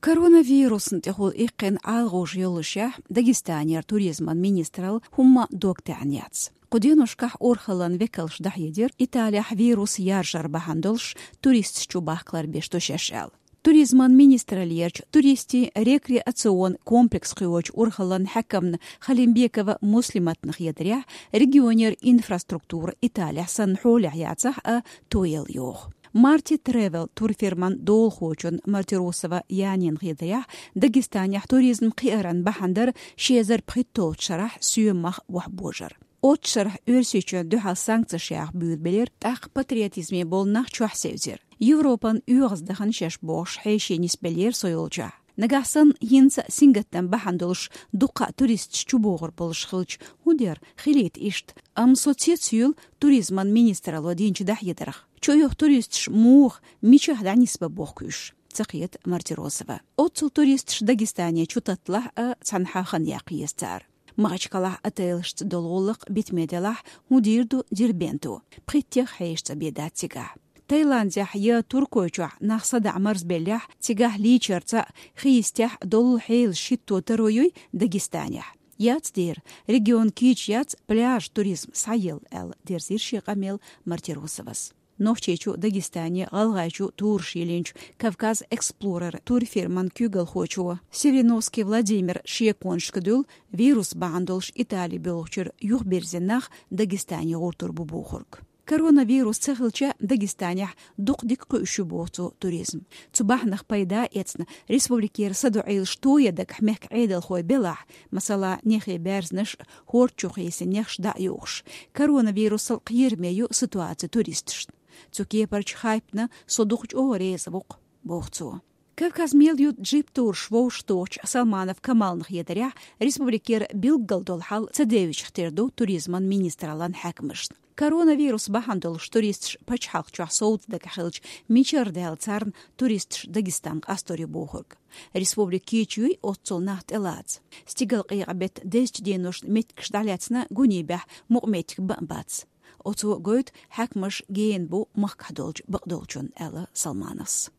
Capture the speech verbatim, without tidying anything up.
Коронавирусна тӀехула иккхина ӀалгӀуш йоллашехь, Дагестанера туризман министралла хӀумма дог таьӀна яц. Кху деношкахь урхаллан векалша дӀахьедира, Италехь вирус яржар бахьана долуш туристаш чубахкалар беш ду шаьш аьлла. Туризман министраллерчу туристийн рекреацион комплекс кхиочу урхаллан хьаькамна Халимбекова Муслиматна хетарехь, регионера инфраструктура Италехь санна хьолехь яцахь а, тоелла йогӀу. Марти Тревел турфирман долахочун Мартиросова Янина хетарехь, Дагестанехь туризм кхиаран бахьана дара ши эзар пхийтталгӀачу шарахь соьмах вахьбожар. Оццу шарахь Оьрсийчоьнна дуьхьал санкцеш яха буьйлабелира, тӀаккха патриотизме болу нах чохь севзира. Европан оьгӀаздахана шаьш бохуш хьеший нисбеллера со йолчохь. Нагахь санна хӀинца а сингаттам бахьана долуш дуккха а туристаш чубогӀур болуш хилча, хӀун дера, хилийта иштта. Амма со цецйуьйлу туризман министралло динчу дӀахьедарх. Чуоьху туристаш муха, мичахь дӀанисбан бохку уьш, ца кхета Мартиросова. Оццул туристаш Дагестане чутатталахь а, цхьанхьа хан яккха еза цара. Махачкалахь отелашца долу гӀуллакх битаме делахь, хӀун дийр ду Дербенто? Пхиттех хьеша цӀа бен дац цигахь. Таиландехь я Туркойчохь нах садаӀа марзбеллехь, цигахь лийчарца а, хи йистехь а долу хьелаш хӀитто таро юй Дагестанехь? Яц дера, регион кийча яц пляж туризм схьаелла, аьлла, дерзийра шен къамел Мартиросовас. Нохчийчу, Дагестане, ГӀалгӀайчу тураш йиллинчу Кавказ Эксплорер турфирман куьйгалхочо Севериновский Владимира шеконашка дуьллу, вирус бахьана долуш Итали боьлхучуьра юхабирзина нах Дагестане гӀуртур бу бохург. Коронавирус ца хилча, Дагестанехь дукха дика кхуьуш ю боху цо туризм. Цу бахьанах пайда а эцна, республикера садоӀийлаш тоян дагахь мехкан Ӏедалхой белахь, масала, нехе баьрзинаш а, хӀорда чу хесина нехаш дӀа а юхуш. Коронавирусал кхераме ю ситуаци туристашна. Цу кепарчу хайпана со дукха чӀогӀа реза ву-кх, боху цо. Кавказ мел ю джип-тураш вовшахтохучу Салманов Камална хетарехь, республикера билггал долу хьал ца девзича тера ду туризман министраллан хьаькамашна. Коронавирус бахьана долуш туристаш пачхьалкх чохь совца дагахь хилча, мичара даьлла царна туристаш Дагестан къастор ю бохург? Республика кийча юй оццул нах тӀелаца? Стигалкъекъа беттан дезачу деношна меттигаш дӀалаьцна гуни бехь мукъа меттиг бан а бац. Оцо гойту, хьаькамаш гена бу махкахь долчу бакъдолчунна, аьлла Салмановс.